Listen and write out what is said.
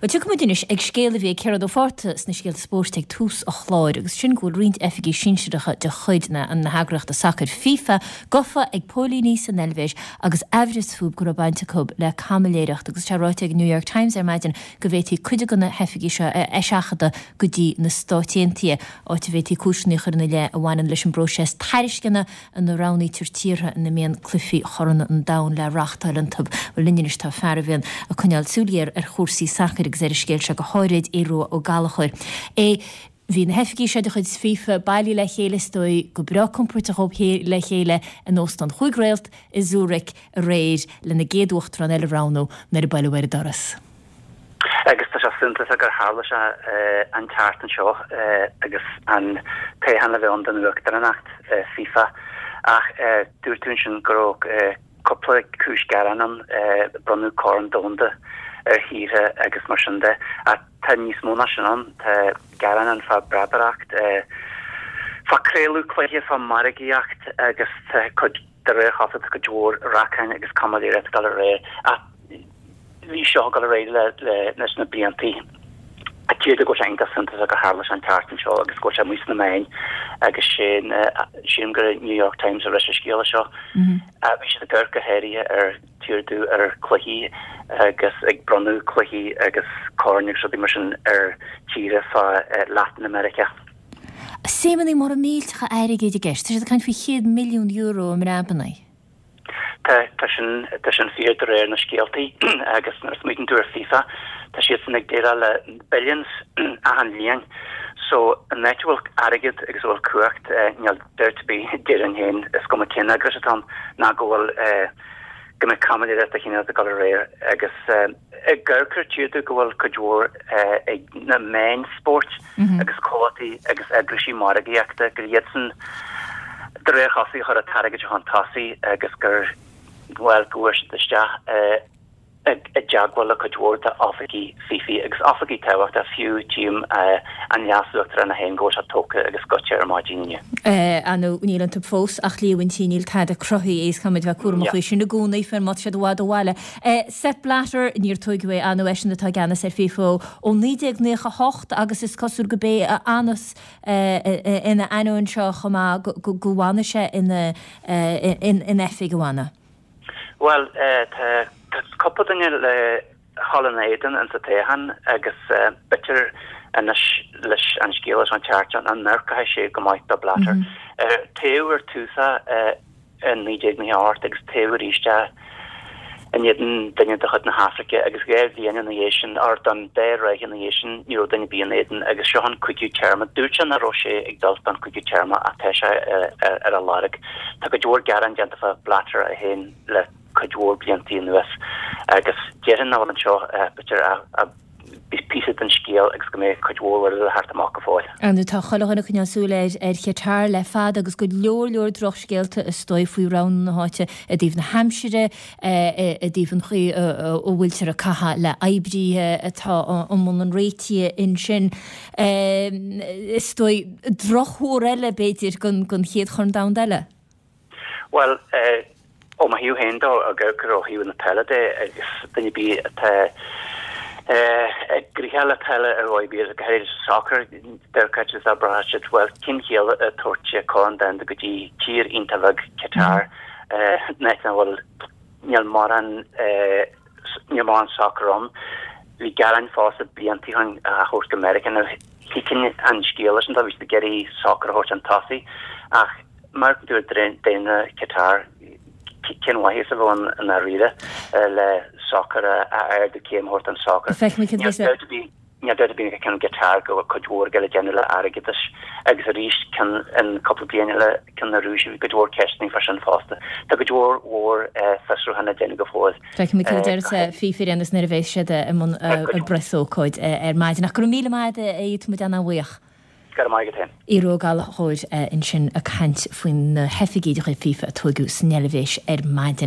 Bhuel, tiocfaidh muid anois ag scéal a bhí ag Gearóid Ó Fátharta sna scéalta spóirt ag tús an chláir, agus sin go bhfuil roinnt oifigigh sinsearacha de chuid na heagraíochta sacair FIFA gofa ag póilíní san Eilvéis agus aimhreas fúthu go raibh baint acu le caimiléireacht. Agus tá ráite ag an New York Times ar maidin go bhféadfaí cuid de na hoifigigh seo a eiseachadadh go dtí na Stáit Aontaithe, áit a bhféadfaí cúiseanna a chur ina leith a bhaineann leis an bpróiseas tairisceana ina roghnaítear tíortha ina mbíonn cluichí Chorn an Domhain le reáchtáil iontu. Bhuel, linn anois tá fear a bhíonn ag coinneáil súil ghéar ar chúrsaí sacair agus ar an scéal seo go háirid, Aodh Rua Ó Gallchóir. A Bhí na hoifigigh seo de chuid FIFA bailithe le chéile is dóigh go breá compordach dhóibh le chéile in Óstán Chúig Réalt i Zurich aréir lena gcéad uachtarán eile a roghnú nuair a buaileadh ar an doras. Agus tá sé suntasach gur tharla sé an tseachtain seo agus an toghchán le bheith ann don uachtaránacht FIFA. Ach dúirt tú ansin go raibh cúpla cúis gearáin ann, bronnadh Corn Domhanda ar thíortha agus mar sin de. Ach tá níos mó ná sin ann, tá gearáin ann fá breabaireacht, fá craoladh cluiche, fá margaíocht agus tá cuid, de réir chosúlachta, tá cuid mhór racáin agus caimiléireacht ag dul ar aghaidh. Ach bhí seo ag dul ar aghaidh leis na bliantaí. Tíortha go bhfuil sé iontach suntasach gur tharla sé an tseachtain seo agus go bhfuil sé amuigh sna meáin agus sin, sílim gur New York Times a rinne an scéala seo. Bhí siad ag amharc go háirithe ar tíortha ar cluichí agus ag bronnadh cluichí agus coirn agus rudaí mar sin ar tíortha fá Latin America. Suimeanna móra millteacha airgid i gceist. Tá siad ag caint faoi €100 milliún i mbreabanna. Tá, tá sin, tá sin fíor de réir na scéaltaí agus nuair a smaoitíonn tú ar FIFA, tá siadsan ag déileáil le billions achan bhliain. So, an áit a bhfuil airgead agus a bhfuil cumhacht, níl dabht ar bith, déarfainn féin, is cuma cén eagrais atá ann, ná go bhfuil, go mbeidh caimiléireacht de chineál ag dul ar aghaidh agus ag amharc ar tíortha go bhfuil cuid mhór ag na meáin spóirt agus comhlachtaí agus eagraisí margaíochta gur iadsan de réir chosúlachta a chuir an t-airgead seo chun tosaigh agus gur bhuel go bhfuair siad isteach i dteagmháil le cuid mhór d'oifigigh FIFA agus oifigigh tábhachtacha fiú tchím an leas-uachtarán é féin go bhfuil sé tógtha agus goite ar maidin inniu. Ar ndóigh níl iontu fós ach líomhaintí, níl tada cruthaithe is caithfimid bheith cúramach faoi sin i gcónaí, faoi má tá siad i bhfad ó bhaile. Sepp Blatter, níor toghadh é, ar ndóigh eisean atá i gceannas ar FIFA ó 1998 agus is cosúil go b'é a fhanas ina ainneoin seo chomh maith go bhfanfaidh sé ina in oifig, an bhfanfaidh? Bhuel, tá cúpla duine le dhul ina éadan insa toghchán agus b'fhéidir anois leis an scéal leis an tseachtain seo nach n-amharcfaidh sé go maith do Blatter. Toghadh ar tús é i 1998 agus toghadh arís é in éadan duine de chuid na hAfraice agus 2 bhliain ina dhiaidh sin, or don dá ráithe ina dhiaidh sin, ní raibh duine ar bith ina éadan agus seo an cúigiú téarma. Dúirt sé nach raibh sé ag dul don cúigiú téarma ach tá sé ar a lorg. Tá cuid mhór gearán déanta fá Blatter é féin le cuid mhór bliantaí anuas agus déarfainn nach bhfuil anseo b'fhéidir ach píosa den scéal agus go mbeidh cuid mhór eile le theacht amach go fóill. Ar ndóigh tá chuile dhuine ag coinneáil súil ar ar Qatar le fada agus go leor leor drochscéalta is dóigh faoi roghnú na háite i dtaobh na haimsire, i dtaobh an chaoi a bhfuiltear ag caitheamh le oibrithe atá i mbun an réitithe ansin. Is dóigh drochthuar eile b'fhéidir don chéad Chorn Domhanda eile. Bhuel, ó mo thaobh féin de, ag amharc ó thaobh na peile de agus duine ar bith atá gnoitheach le peile ar dhóigh ar bith, go háirithe sa sacar, deirfeadh siad, abraitheadh siad, bhuel, cén chiall ag tabhairt Corn Domhanda go dtí tír iontach bheag, Qatar, in áit nach bhfuil, níl mórán, Níl mórán sacair ann. Bhí gearáin fosta blianta ó shin á thabhairt go Meiriceá. Now thuigfinn an scéal leis an dá, bhí siad ag iarraidh sacar a thabhairt chun tosaigh ach mar a dúirt daonra Qatar, cén mhaitheas a bheadh ann i ndáiríre le sacar a ardú céim a thabhairt don sacar. Feicfimid cad a bheas le. Níl dabht ar bith ag ceann Qatar go bhfuil cuid mhór ag dul le déanamh le airgeadas agus arís ceann in cúpla bliain eile ceann na Rúise bhí cuid mhór ceisteanna fá sin fosta. Tá cuid mhór mhór fiosrúchán le déanamh go fóill. Feicfimid cad a déarfas FIFA ar aon nós nuair a bheas siad i mbun a bpreasócáid ar maidin. Ach go raibh míle maith agat a Aodh, tá muid ana-bhuíoch. Go raibh maith agat féin. Aodh Rua Ó Gallchóir ansin ag caint faoi na hoifigigh de chuid FIFA a tóigeadh san Eilvéis ar maidin.